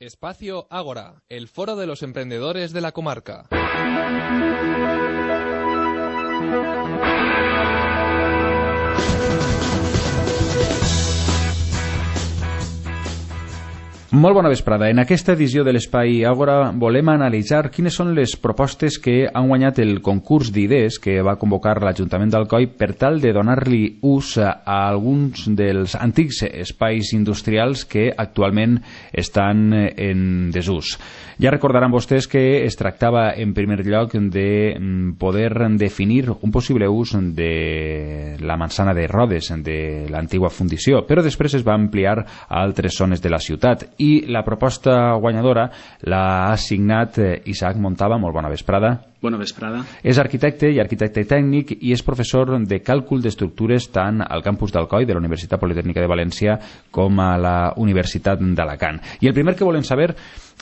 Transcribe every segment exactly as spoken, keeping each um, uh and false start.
Espacio Ágora, el foro de los emprendedores de la comarca. Molt bona vesprada. En aquesta edició de l'Espai Àgora volem analitzar quines són les propostes que han guanyat el concurs d'idees que va convocar l'Ajuntament d'Alcoi per tal de donar-li ús a alguns dels antics espais industrials que actualment estan en desús. Ja recordaran vostès que es tractava en primer lloc de poder definir un possible ús de la manzana de Rodes, de l'antiga fundició, però després es va ampliar a altres zones de la ciutat. I la proposta guanyadora l'ha assignat Isaac Montava. Molt bona vesprada. Bona vesprada. És arquitecte i arquitecte tècnic i és professor de càlcul d'estructures tant al campus d'Alcoi de la Universitat Politècnica de València com a la Universitat d'Alacant. I el primer que volem saber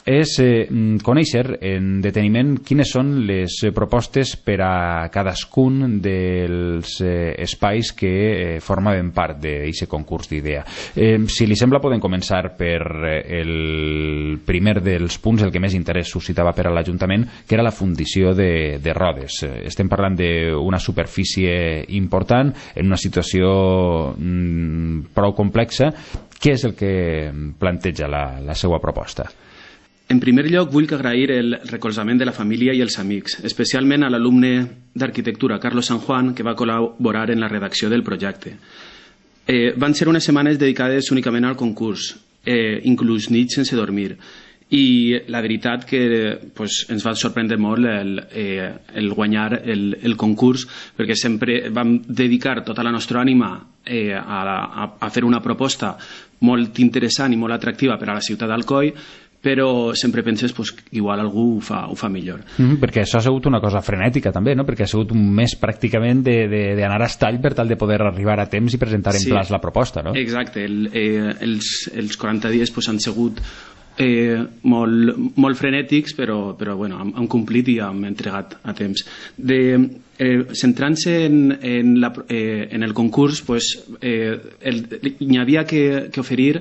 és eh, conèixer en deteniment quines són les propostes per a cadascun dels eh, espais que eh, formaven part d'aquest concurs d'idea. Eh, si li sembla, podem començar per eh, el primer dels punts, el que més interès suscitava per a l'Ajuntament, que era la fundició de, de Rodes. Estem parlant d'una superfície important, en una situació mm, prou complexa. Què és el que planteja la, la seva proposta? En primer lloc, vull agrair el recolzament de la família i els amics, especialment a l'alumne d'arquitectura, Carlos San Juan, que va col·laborar en la redacció del projecte. Eh, van ser unes setmanes dedicades únicament al concurs, eh, inclús nits sense dormir. I la veritat que pues, ens va sorprendre molt el, eh, el guanyar el, el concurs, perquè sempre vam dedicar tota la nostra ànima eh, a, a, a fer una proposta molt interessant i molt atractiva per a la ciutat d'Alcoi, però sempre penses pues, que igual algú ho fa, ho fa millor. Mm, perquè això ha sigut una cosa frenètica també, no? Perquè ha sigut un mes pràcticament d'anar a estall per tal de poder arribar a temps i presentar en sí, plaç la proposta, no? Exacte, el, eh, els, els quaranta dies pues, han sigut eh, molt, molt frenètics, però, però bueno, hem, hem complit i hem entregat a temps. De, eh, centrant-se en, en, la, eh, en el concurs, pues, eh, el, hi havia que, que oferir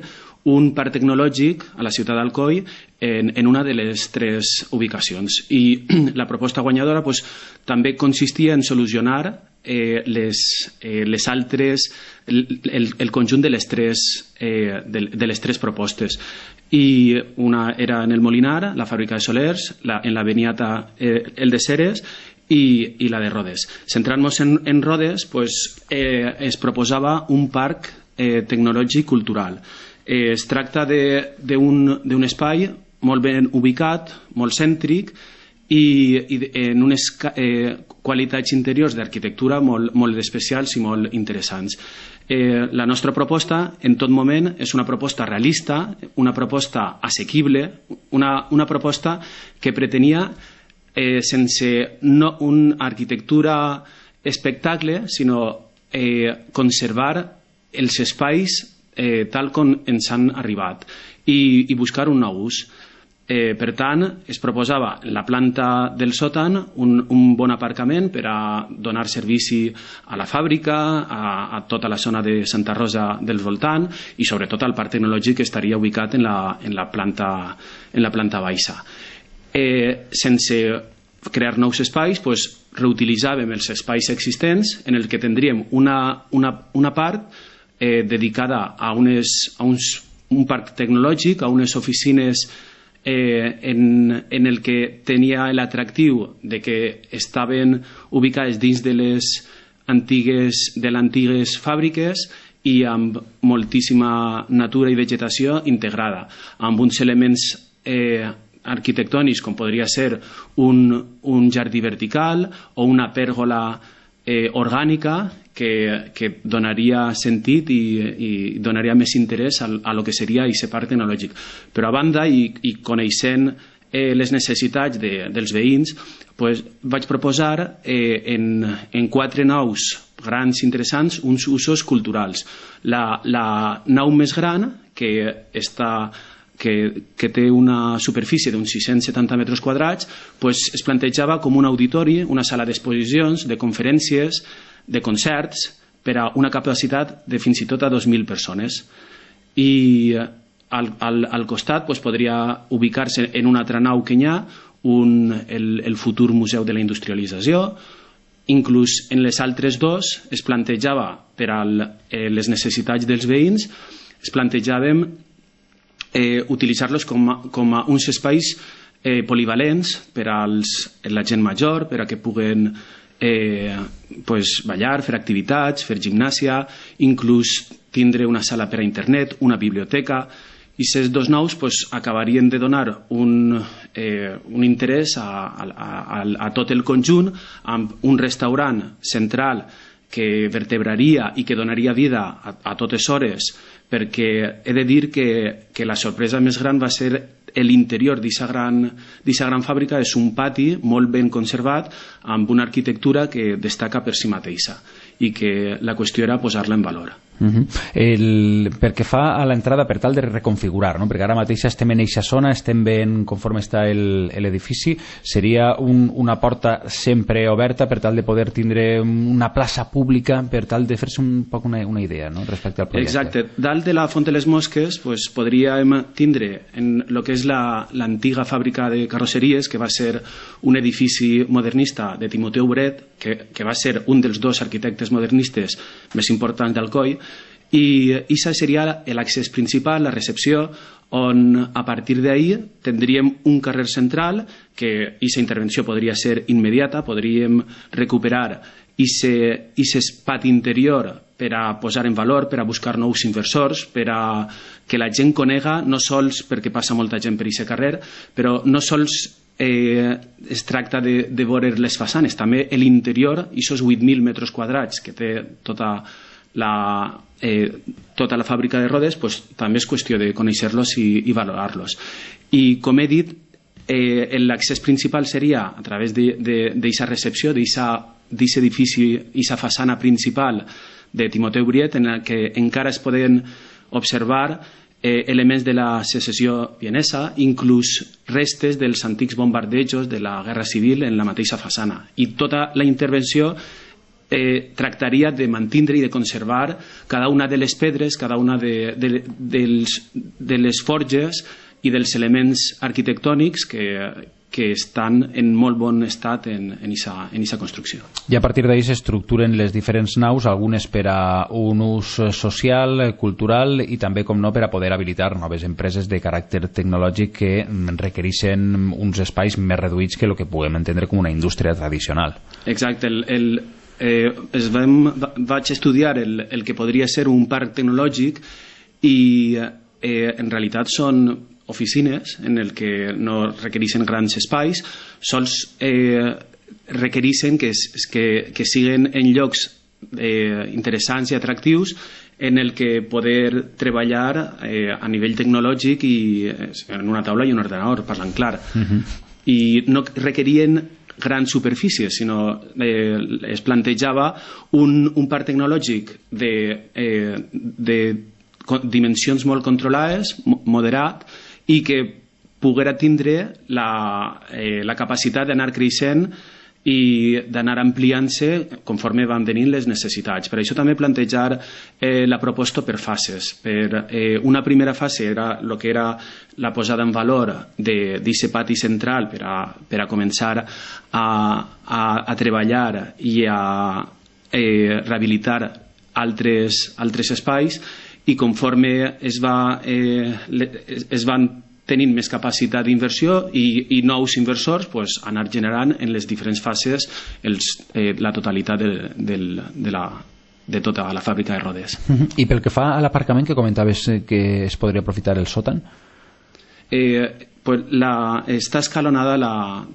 un parc tecnològic a la ciutat d'Alcoi en, en una de les tres ubicacions. I la proposta guanyadora pues, també consistia en solucionar eh, les, eh, les altres, el, el, el conjunt de les, tres, eh, de, de les tres propostes. I una era en el Molinar, la fàbrica de Solers, la, en la Beniata eh, el de Ceres i, i la de Rodes. Centrant-nos en, en Rodes, pues, eh, es proposava un parc eh, tecnològic cultural. Eh, es tracta d'un espai molt ben ubicat, molt cèntric i, i en unes eh, qualitats interiors d'arquitectura molt, molt especials i molt interessants. Eh, la nostra proposta en tot moment és una proposta realista, una proposta assequible, una, una proposta que pretenia eh, sense no una arquitectura espectacle, sinó eh, conservar els espais Eh, tal com ens han arribat i, i buscar un nou ús. Eh, per tant, es proposava en la planta del sòtan un, un bon aparcament per a donar servici a la fàbrica, a, a tota la zona de Santa Rosa del voltant i sobretot al parc tecnològic que estaria ubicat en la, en la, planta, en la planta baixa. Eh, sense crear nous espais, pues, reutilitzàvem els espais existents en el que tindríem una, una, una part Eh, dedicada a, unes, a uns, un parc tecnològic, a unes oficines eh, en, en el que tenia l'atractiu de que estaven ubicades dins de les antigues, de les antigues fàbriques i amb moltíssima natura i vegetació integrada, amb uns elements eh, arquitectònics com podria ser un, un jardí vertical o una pèrgola eh, orgànica que, que donaria sentit i, i donaria més interès a, a lo que seria aquest parc tecnològic. Però a banda, i, i coneixent eh, les necessitats de, dels veïns, pues, vaig proposar eh, en, en quatre naus grans interessants uns usos culturals. La, la nau més gran, que està que, que té una superfície d'uns sis-cents setanta metres quadrats, pues, es plantejava com un auditori, una sala d'exposicions, de conferències, de concerts, per a una capacitat de fins i tot a dos mil persones. I al, al, al costat pues, podria ubicar-se en una altra nau que hi ha un, el, el futur Museu de la Industrialització. Inclús en les altres dos es plantejava per a les necessitats dels veïns, es plantejàvem eh, utilitzar-los com, a, com a uns espais eh, polivalents per a la gent major, per a que puguen eh, pues, ballar, fer activitats, fer gimnàsia, inclús tindre una sala per a internet, una biblioteca, i aquests dos nous pues, acabarien de donar un, eh, un interès a, a, a, a tot el conjunt, amb un restaurant central que vertebraria i que donaria vida a, a totes hores, perquè he de dir que, que la sorpresa més gran va ser l'interior d'aquesta gran, gran fàbrica. És un pati molt ben conservat amb una arquitectura que destaca per si mateixa i que la qüestió era posar-la en valor. Uh-huh. El, perquè fa a l'entrada per tal de reconfigurar, no? Perquè ara mateix estem en eixa zona, estem ben conforme està l'edifici, seria un, una porta sempre oberta per tal de poder tindre una plaça pública, per tal de fer-se un poc una, una idea, no? Respecte al projecte. Exacte, dalt de la Font de les Mosques pues, podríem tindre en el que és l'antiga la, fàbrica de carrosseries, que va ser un edifici modernista de Timoteu Bret, que, que va ser un dels dos arquitectes modernistes més importants d'Alcoi, i això seria l'accés principal, la recepció, on a partir d'ahí tindríem un carrer central que aquesta intervenció podria ser immediata, podríem recuperar aquest pati interior per a posar en valor, per a buscar nous inversors, per a que la gent conega, no sols perquè passa molta gent per aquest carrer, però no sols eh, es tracta de, de veure les façanes, també l'interior, aquests vuit mil metres quadrats que té tota la, eh, tota la fàbrica de rodes, pues, també és qüestió de conèixer-los i, i valorar-los. I com he dit, eh, l'accés principal seria a través d'aquesta recepció, d'aquest edifici, d'aquesta façana principal de Timoteu Bret, en la que encara es poden observar eh, elements de la secessió vienesa, inclús restes dels antics bombardejos de la Guerra Civil en la mateixa façana. I tota la intervenció eh, tractaria de mantindre i de conservar cada una de les pedres, cada una de, de, dels, de les forges i dels elements arquitectònics que, que estan en molt bon estat en aquesta construcció. I a partir d'ahí s'estructuren les diferents naus, algunes per a un ús social, cultural i també, com no, per a poder habilitar noves empreses de caràcter tecnològic que requereixen uns espais més reduïts que el que puguem entendre com una indústria tradicional. Exacte. El, el, eh, es vam, vaig estudiar el, el que podria ser un parc tecnològic i eh, en realitat són oficines en el que no requereixen grans espais, sols eh, requereixen que, que, que siguin en llocs eh, interessants i atractius en el que poder treballar eh, a nivell tecnològic i eh, en una taula i un ordenador, parlant clar. Uh-huh. I no requerien grans superfícies, sinó eh, es plantejava un, un parc tecnològic de, eh, de dimensions molt controlades, moderat, i que poguera tindre la, eh, la capacitat d'anar creixent i d'anar ampliant-se conforme van venint les necessitats. Per això també plantejar eh, la proposta per fases. Per, eh, una primera fase era el que era la posada en valor d'aquest pati central per a, per a començar a, a, a treballar i a eh, rehabilitar altres, altres espais, i conforme es, va, eh, es van tenint més capacitat d'inversió i, i nous inversors, pues, anar generant en les diferents fases els, eh, la totalitat de, de, de, la, de tota la fàbrica de rodes. Uh-huh. I pel que fa a l'aparcament, que comentaves que es podria aprofitar el sòtan? Eh, pues la, està escalonada la,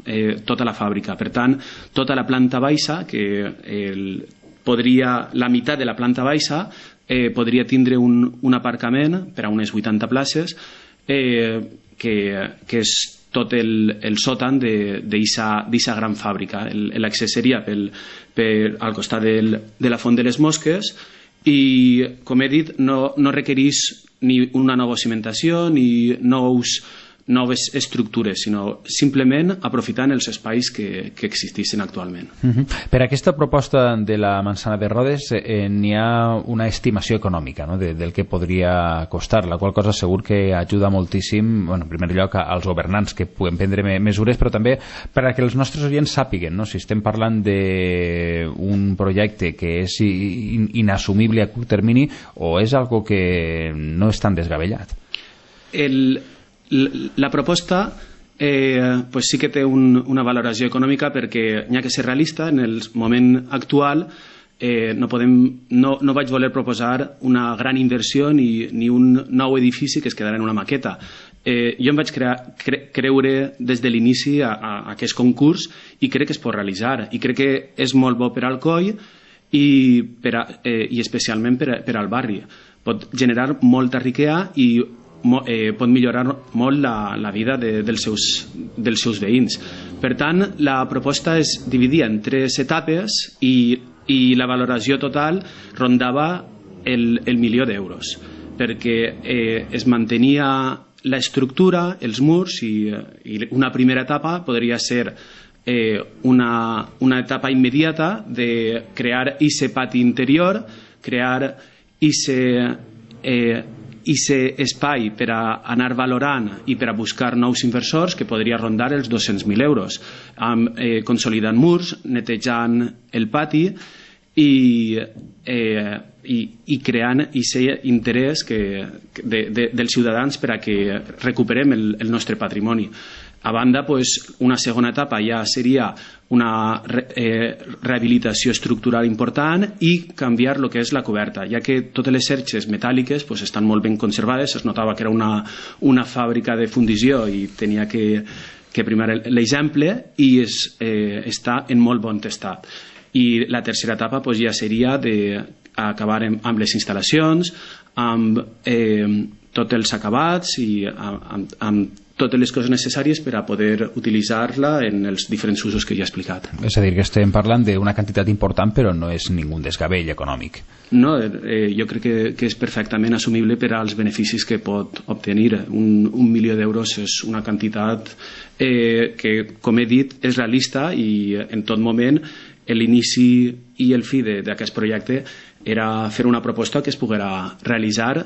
eh, tota la fàbrica, per tant, tota la planta baixa, que el, podria, la meitat de la planta baixa eh, podria tindre un, un aparcament per a unes vuitanta places, eh, que, que és tot el, el sòtan d'aquesta gran fàbrica. L'accés seria pel, per, al costat del, de la Font de les Mosques i, com he dit, no, no requereix ni una nova cimentació ni nous, noves estructures, sinó simplement aprofitant els espais que, que existissin actualment. Uh-huh. Per aquesta proposta de la Manzana de Rodes eh, n'hi ha una estimació econòmica, no?, de, del que podria costar, la qual cosa segur que ajuda moltíssim, bueno, en primer lloc als governants que puguem prendre me mesures, però també per a que els nostres oients sàpiguen, no?, si estem parlant d'un projecte que és in inassumible a curt termini o és algo que no és tan desgabellat. El La proposta eh, pues sí que té un, una valoració econòmica perquè n'hi ha que ser realista. En el moment actual eh, no, podem, no, no vaig voler proposar una gran inversió ni, ni un nou edifici que es quedarà en una maqueta. Eh, jo em vaig crear, cre, creure des de l'inici a, a, a aquest concurs i crec que es pot realitzar i crec que és molt bo per al Alcoi i, per a, eh, i especialment per, a, per al barri. Pot generar molta riquesa i Eh, pot millorar molt la, la vida de, dels, seus, dels seus veïns. Per tant, la proposta es dividia en tres etapes i, i la valoració total rondava el, el milió d'euros, perquè eh, es mantenia l'estructura, els murs, i, i una primera etapa podria ser eh, una, una etapa immediata de crear ese pati interior, crear ese eh, i ser espai per a anar valorant i per a buscar nous inversors que podria rondar els dos-cents mil euros, amb, eh, consolidant murs, netejant el pati i, eh, i, i creant aquest interès que, de, de, dels ciutadans per a que recuperem el, el nostre patrimoni. A banda, pues, una segona etapa ja seria una re, eh, rehabilitació estructural important i canviar el que és la coberta, ja que totes les xerxes metàl·liques pues, estan molt ben conservades. Es notava que era una, una fàbrica de fundició i tenia que, que primar l'exemple i es, eh, està en molt bon estat. I la tercera etapa pues, ja seria d'acabar amb les instal·lacions, amb eh, tots els acabats i amb, amb, amb totes les coses necessàries per a poder utilitzar-la en els diferents usos que ja he explicat. És a dir, que estem parlant d'una quantitat important però no és ningú desgavell econòmic. No, eh, jo crec que, que és perfectament assumible per als beneficis que pot obtenir. Un, un milió d'euros és una quantitat eh, que, com he dit, és realista i en tot moment l'inici i el fi d'aquest projecte era fer una proposta que es poguera realitzar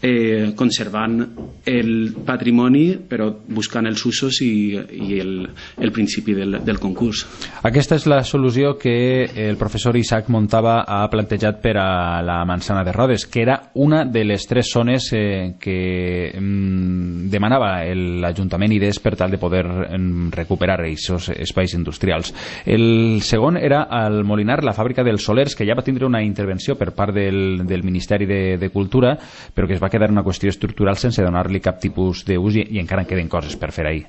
Eh, conservant el patrimoni però buscant els usos i, i el, el principi del, del concurs. Aquesta és la solució que el professor Isaac Montava ha plantejat per a la Manzana de Rodes, que era una de les tres zones eh, que mm, demanava l'Ajuntament idees per tal de poder mm, recuperar aquests espais industrials. El segon era el Molinar, la fàbrica dels Solers, que ja va tindre una intervenció per part del, del Ministeri de, de Cultura, però que es va va quedar una qüestió estructural sense donar-li cap tipus d'ús i, i encara en queden coses per fer ahir.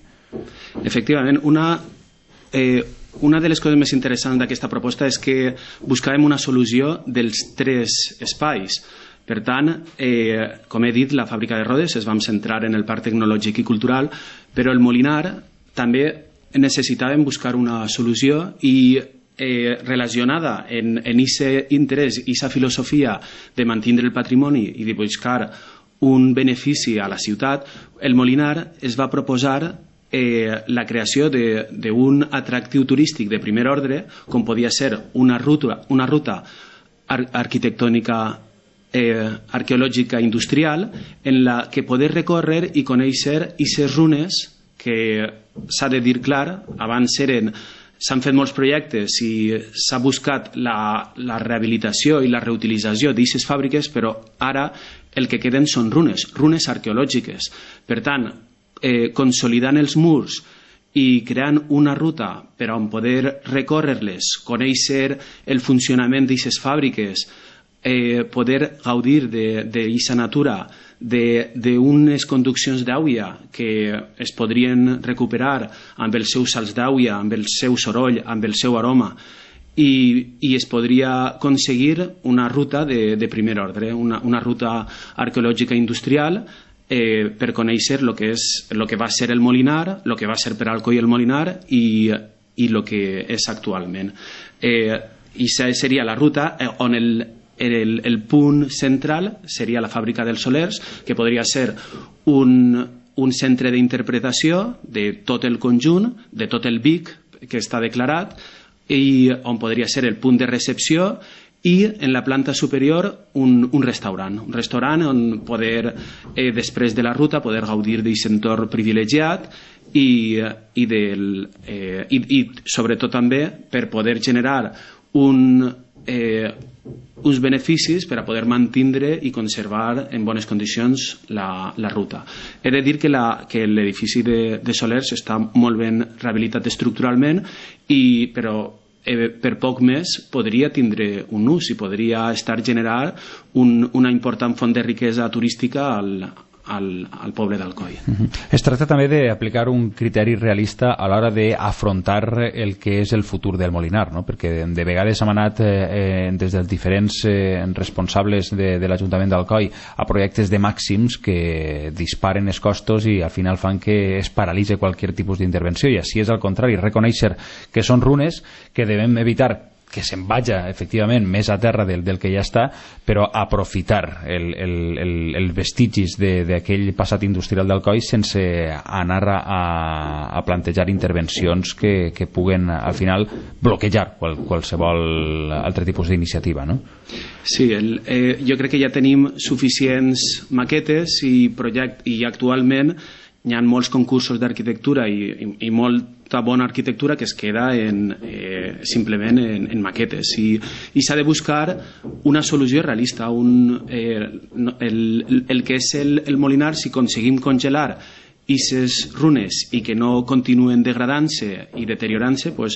Efectivament, una, eh, una de les coses més interessants d'aquesta proposta és que buscàvem una solució dels tres espais. Per tant, eh, com he dit, la fàbrica de Rodes es vam centrar en el parc tecnològic i cultural, però el Molinar també necessitàvem buscar una solució i Eh, relacionada en aquest interès i aquesta filosofia de mantenir el patrimoni i de buscar un benefici a la ciutat. El Molinar es va proposar eh, la creació d'un atractiu turístic de primer ordre, com podia ser una ruta, una ruta ar arquitectònica eh, arqueològica industrial en la que poder recórrer i conèixer aquestes runes que s'ha de dir clar, abans eren s'han fet molts projectes i s'ha buscat la, la rehabilitació i la reutilització d'aquestes fàbriques, però ara el que queden són runes, runes arqueològiques. Per tant, eh, consolidant els murs i creant una ruta per on poder recórrer-les, conèixer el funcionament d'aquestes fàbriques, eh, poder gaudir d'aquesta natura, d'unes conduccions d'aigua que es podrien recuperar amb els seus salts d'aigua, amb el seu soroll, amb el seu aroma, i, i es podria aconseguir una ruta de, de primer ordre, una, una ruta arqueològica industrial eh, per conèixer el que, és, lo que va ser el Molinar, el que va ser per Alcoi el Molinar i el que és actualment. Eh, I seria la ruta on el El, el punt central seria la fàbrica dels Solers, que podria ser un, un centre d'interpretació de tot el conjunt, de tot el Vic que està declarat, i on podria ser el punt de recepció, i en la planta superior un, un restaurant, un restaurant on poder, eh, després de la ruta, poder gaudir d'aquest entorn privilegiat i, i, del, eh, i, i sobretot també per poder generar un, eh, uns beneficis per a poder mantindre i conservar en bones condicions la, la ruta. He de dir que, la, que l'edifici de, de Solers està molt ben rehabilitat estructuralment, i, però eh, per poc més podria tindre un ús i podria estar generar un, una important font de riquesa turística al, al, al poble d'Alcoi. Uh-huh. Es tracta també d'aplicar un criteri realista a l'hora d'afrontar el que és el futur del Molinar, no? Perquè de, de vegades hem anat eh, des dels diferents eh, responsables de, de l'Ajuntament d'Alcoi a projectes de màxims que disparen els costos i al final fan que es paralitze qualsevol tipus d'intervenció, i així és al contrari, reconèixer que són runes, que devem evitar que se'n vaja efectivament més a terra del, del que ja està, però aprofitar el, el, el, els vestigis d'aquell passat industrial d'Alcoi sense anar a, a plantejar intervencions que, que puguen al final bloquejar qual, qualsevol altre tipus d'iniciativa, no? Sí, el, eh, jo crec que ja tenim suficients maquetes i, project, i actualment hi ha molts concursos d'arquitectura i, i, i molta bona arquitectura que es queda en, eh, simplement en, en maquetes, i, i s'ha de buscar una solució realista, un, eh, el, el que és el, el Molinar. Si aconseguim congelar aquestes runes i que no continuen degradant-se i deteriorant-se, pues,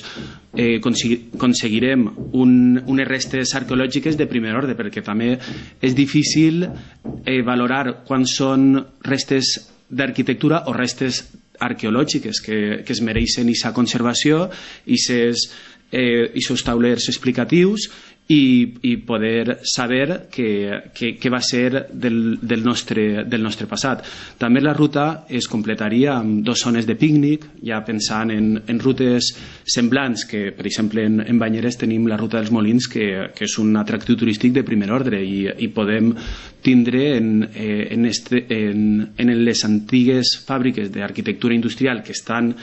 eh, aconseguirem un, unes restes arqueològiques de primer ordre, perquè també és difícil eh, valorar quan són restes d'arquitectura o restes arqueològiques que, que es mereixen aquesta conservació i aquests eh, taulers explicatius, i, i poder saber què va ser del, del, nostre, del nostre passat. També la ruta es completaria amb dues zones de pícnic, ja pensant en, en rutes semblants, que per exemple en, en Banyeres tenim la ruta dels Molins, que, que és un atractiu turístic de primer ordre, i, i podem tindre en, en, este, en, en les antigues fàbriques d'arquitectura industrial que estan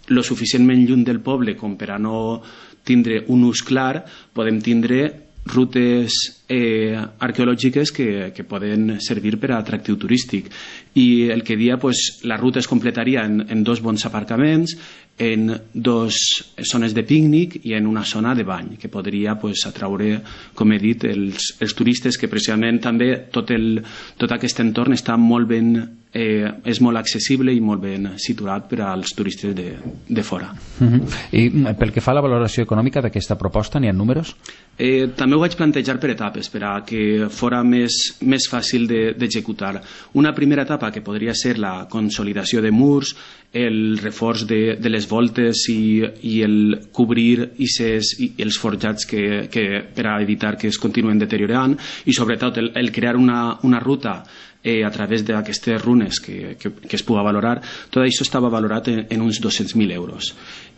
lo suficientment lluny del poble com per a no tindre un ús clar, podem tindre rutes eh, arqueològiques que, que poden servir per a atractiu turístic. I el que dia, pues, la ruta es completaria en, en dos bons aparcaments, en dos zones de pícnic i en una zona de bany, que podria, pues, atraure, com he dit, els, els turistes, que precisament també tot, el, tot aquest entorn està molt ben, eh, és molt accessible i molt ben situat per als turistes de, de fora. Uh-huh. I pel que fa a la valoració econòmica d'aquesta proposta, n'hi ha números? Eh, també ho vaig plantejar per etapes, per a que fora més, més fàcil d'executar. De, una primera etapa que podria ser la consolidació de murs, el reforç de, de les voltes i, i el cobrir i, ses, i els forjats que, que, per a evitar que es continuen deteriorant, i sobretot el, el crear una, una ruta eh, a través d'aquestes runes que, que, que es pugui valorar. Tot això estava valorat en, en uns dos-cents mil euros.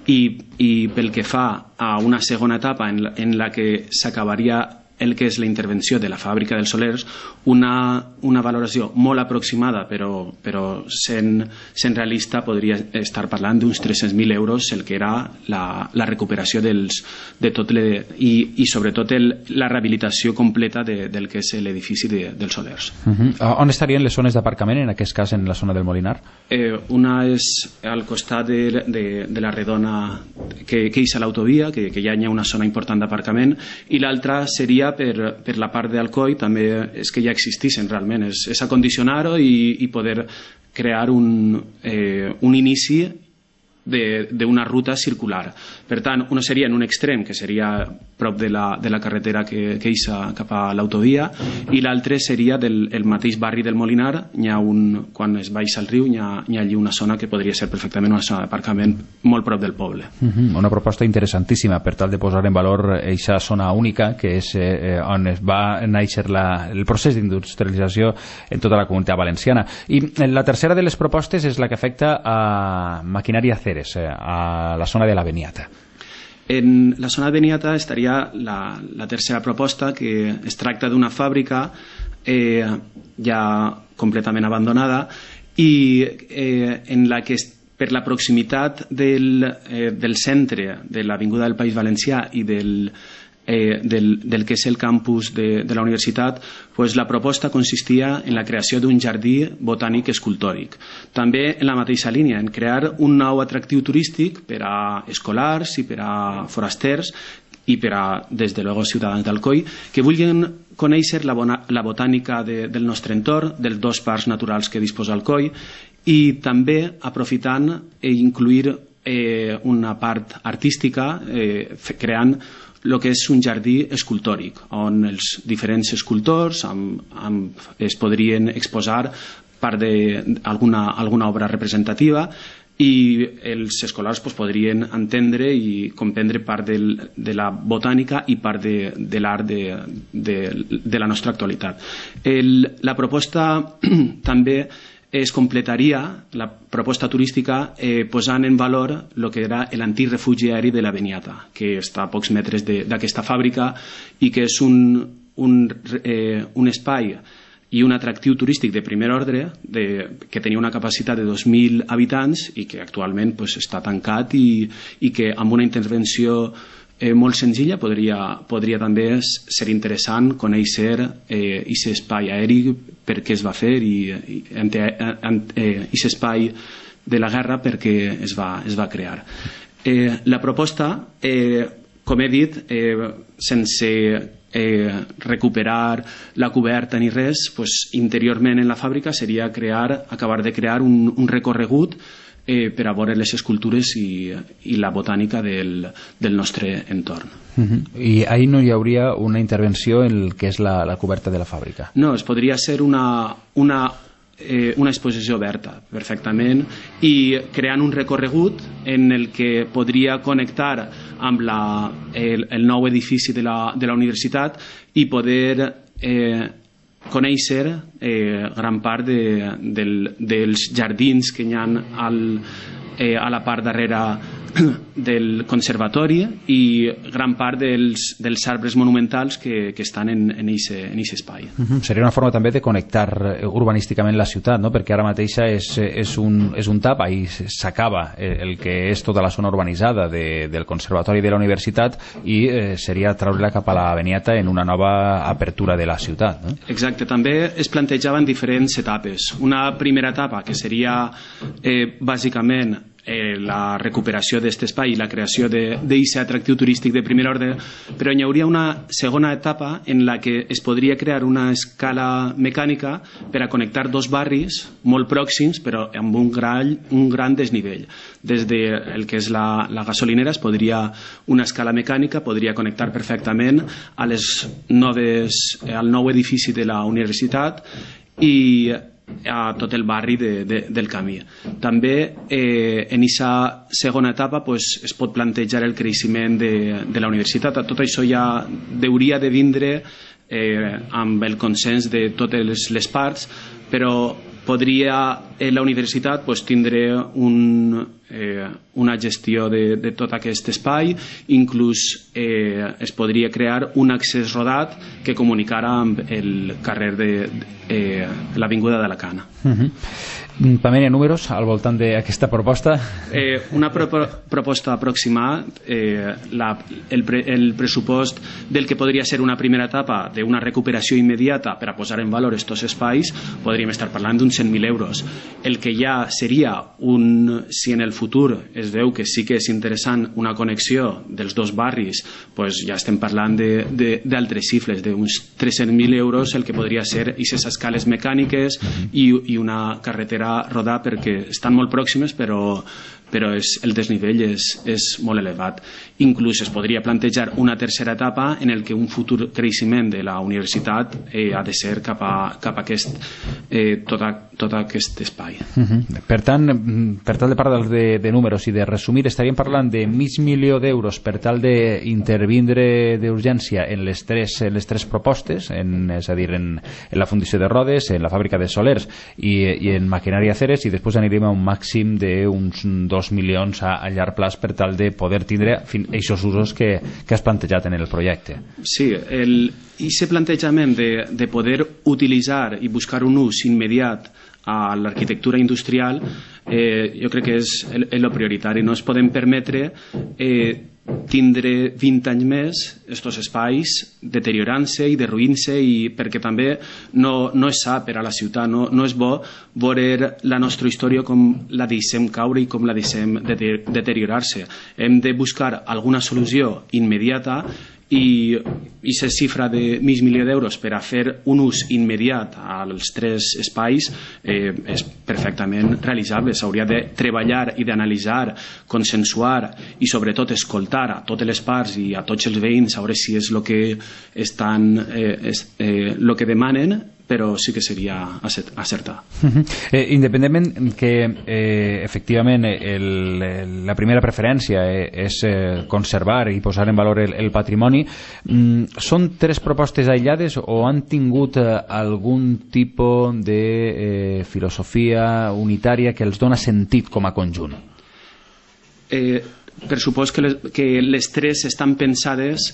I, i pel que fa a una segona etapa en la, en la que s'acabaria el que és la intervenció de la fàbrica dels Solers, una, una valoració molt aproximada, però, però sent, sent realista, podria estar parlant d'uns tres-cents mil euros, el que era la, la recuperació dels, de tot le, i, i sobretot el, la rehabilitació completa de, del que és l'edifici de, dels Solers. Uh-huh. On estarien les zones d'aparcament, en aquest cas en la zona del Molinar? Eh, una és al costat de, de, de la redona que, que hi ha l'autovia, que, que ja hi ha una zona important d'aparcament, i l'altra seria Per, per la part d'Alcoi, també és que ja existeixen realment, és, és acondicionar-ho i, i poder crear un, eh, un inici d'una ruta circular. Per tant, una seria en un extrem, que seria prop de la, de la carretera que, que issa cap a l'autovia, i l'altre seria del el mateix barri del Molinar. Hi ha un, quan es baixa al riu, hi ha, hi ha allí una zona que podria ser perfectament una zona d'aparcament molt prop del poble. Uh-huh. Una proposta interessantíssima per tal de posar en valor aquesta zona única, que és eh, on es va néixer la, el procés d'industrialització en tota la comunitat valenciana. I la tercera de les propostes és la que afecta a maquinària Ceres, a la zona de la Beniata. En la zona de Beniata estaria la, la tercera proposta, que es tracta d'una fàbrica eh, ja completament abandonada i eh, en la que per la proximitat del, eh, del centre de l'Avinguda del País Valencià i del, eh, del, del que és el campus de, de la universitat, pues la proposta consistia en la creació d'un jardí botànic escultòric. També en la mateixa línia, en crear un nou atractiu turístic per a escolars i per a forasters i per a, des de luego, ciutadans d'Alcoi, que vulguin conèixer la, bona, la botànica de, del nostre entorn, dels dos parcs naturals que disposa Alcoi, i també aprofitant i incluir eh, una part artística eh, creant el que és un jardí escultòric on els diferents escultors amb, amb, es podrien exposar part d'alguna alguna obra representativa i els escolars pues, podrien entendre i comprendre part del, de la botànica i part de, de l'art de, de, de la nostra actualitat. El, la proposta també es completaria, la proposta turística, eh, posant en valor el que era l'antic refugi aeri de la Beniata, que està a pocs metres d'aquesta fàbrica i que és un, un, eh, un espai i un atractiu turístic de primer ordre de, que tenia una capacitat de dos mil habitants i que actualment pues, està tancat i, i que amb una intervenció Eh, molt senzilla podria, podria també ser interessant conèixer eh, aquest espai aeri, per què es va fer i aquest eh, espai de la guerra per què es va, es va crear. Eh, la proposta, eh, com he dit, eh, sense eh, recuperar la coberta ni res, pues, interiorment en la fàbrica seria crear, acabar de crear un, un recorregut Eh, per a veure les escultures i, i la botànica del, del nostre entorn. Uh-huh. I ahí no hi hauria una intervenció en el que és la, la coberta de la fàbrica? No, es podria ser una, una, eh, una exposició oberta perfectament i creant un recorregut en el que podria connectar amb la, el, el nou edifici de la, de la universitat i poder eh, conèixer eh, gran part de, del, dels jardins que hi ha al, eh, a la part darrere del conservatori i gran part dels, dels arbres monumentals que, que estan en aquest en en espai. Uh-huh. Seria una forma també de connectar urbanísticament la ciutat, no? Perquè ara mateixa és, és, un, és un tap, ahí s'acaba el que és tota la zona urbanitzada de, del conservatori de la universitat i eh, seria treure-la cap a la Beniata en una nova apertura de la ciutat, no? Exacte, també es plantejaven diferents etapes. Una primera etapa que seria eh, bàsicament Eh, la recuperació d'aquest espai i la creació d'aquest atractiu turístic de primer ordre, però hi hauria una segona etapa en la que es podria crear una escala mecànica per a connectar dos barris molt pròxims però amb un gran, un gran desnivell. Des del que és la, la gasolinera es podria, una escala mecànica podria connectar perfectament a les noves, al nou edifici de la universitat i a tot el barri de, de, del camí. També eh, en aquesta segona etapa pues, es pot plantejar el creixement de, de la universitat. Tot això ja hauria de vindre eh, amb el consens de totes les, les parts, però podria eh, la universitat pues, tindre un, eh, una gestió de, de tot aquest espai, inclús eh, es podria crear un accés rodat que comunicara amb el carrer de, de eh, l'Avinguda d'Alacant. Uh-huh. Pamela, números al voltant d'aquesta proposta? Eh, una pro proposta aproximada, eh, la, el, pre el pressupost del que podria ser una primera etapa d'una recuperació immediata per a posar en valor aquests espais, podríem estar parlant d'uns cent mil euros. El que ja seria un, si en el futur es veu que sí que és interessant una connexió dels dos barris, pues ja estem parlant d'altres xifres, d'uns tres-cents mil euros, el que podria ser aquestes escales mecàniques i, i una carretera rodar perquè estan molt pròximes però, però és, el desnivell és, és molt elevat. Inclús es podria plantejar una tercera etapa en el que un futur creixement de la universitat eh, ha de ser cap a, cap a aquest, eh, tot, a, tot aquest espai. Uh-huh. Per tant, per tal de parlar de, de números i de resumir, estaríem parlant de mig milió d'euros per tal d'intervindre d'urgència en les tres, en les tres propostes, en, és a dir, en, en la fundició de rodes, en la fàbrica de solers i, i en maquinària Ceres, i després anirem a un màxim d'uns dos milions a, a llarg plaç per tal de poder tindre aquests usos que, que has plantejat en el projecte. Sí, el, i aquest plantejament de, de poder utilitzar i buscar un ús immediat a l'arquitectura industrial, eh, jo crec que és el, el prioritari. No es podem permetre eh, tindre vint anys més estos espais deteriorant-se i derruint-se, i perquè també no, no és sa per a la ciutat, no, no és bo veure la nostra història com la deixem caure i com la deixem deteriorar-se. Hem de buscar alguna solució immediata, i aquesta xifra de mig milió d'euros per a fer un ús immediat als tres espais eh, és perfectament realitzable. S'hauria de treballar i d'analitzar, consensuar i sobretot escoltar a totes les parts i a tots els veïns, a veure si és el que estan eh, és, eh, el que demanen, però sí que seria acertar. Uh-huh. eh, independentment que eh, efectivament el, el, la primera preferència eh, és eh, conservar i posar en valor el, el patrimoni, mm, són tres propostes aïllades o han tingut eh, algun tipus de eh, filosofia unitària que els dona sentit com a conjunt? Eh, per supòs que les, que les tres estan pensades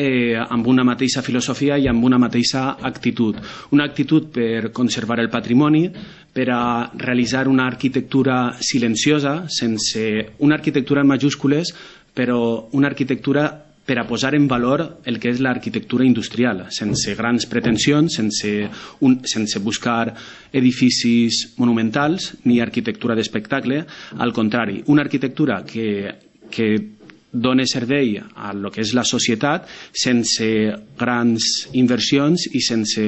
Eh, amb una mateixa filosofia i amb una mateixa actitud. Una actitud per conservar el patrimoni, per a realitzar una arquitectura silenciosa, sense una arquitectura en majúscules, però una arquitectura per a posar en valor el que és l'arquitectura industrial, sense grans pretensions, sense, un, sense buscar edificis monumentals ni arquitectura d'espectacle. Al contrari, una arquitectura que, que dona servei a lo que és la societat sense grans inversions i sense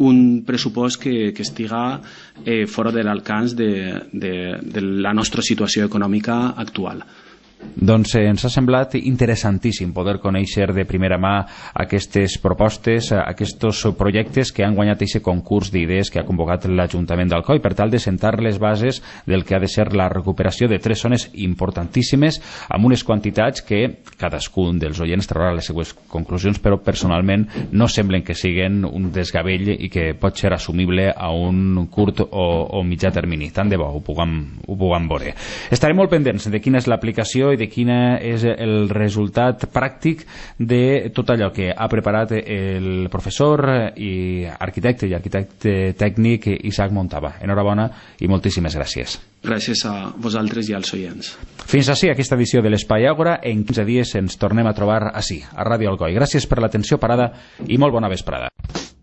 un pressupost que, que estiga eh, fora de l'alcance de, de, de la nostra situació econòmica actual. Doncs eh, ens ha semblat interessantíssim poder conèixer de primera mà aquestes propostes, aquests projectes que han guanyat aquest concurs d'idees que ha convocat l'Ajuntament d'Alcoi per tal de sentar les bases del que ha de ser la recuperació de tres zones importantíssimes amb unes quantitats que cadascun dels oients traurà les seues conclusions, però personalment no semblen que siguin un desgavell i que pot ser assumible a un curt o, o mitjà termini. Tant de bo ho puguem, ho puguem veure. Estarem molt pendents de quina és l'aplicació i de quin és el resultat pràctic de tot allò que ha preparat el professor i arquitecte i arquitecte tècnic Isaac Montava. Enhorabona i moltíssimes gràcies. Gràcies a vosaltres i als oients. Fins ací aquesta edició de l'Espai Àgora. En quinze dies ens tornem a trobar ací, a Ràdio Alcoi. Gràcies per l'atenció parada i molt bona vesprada.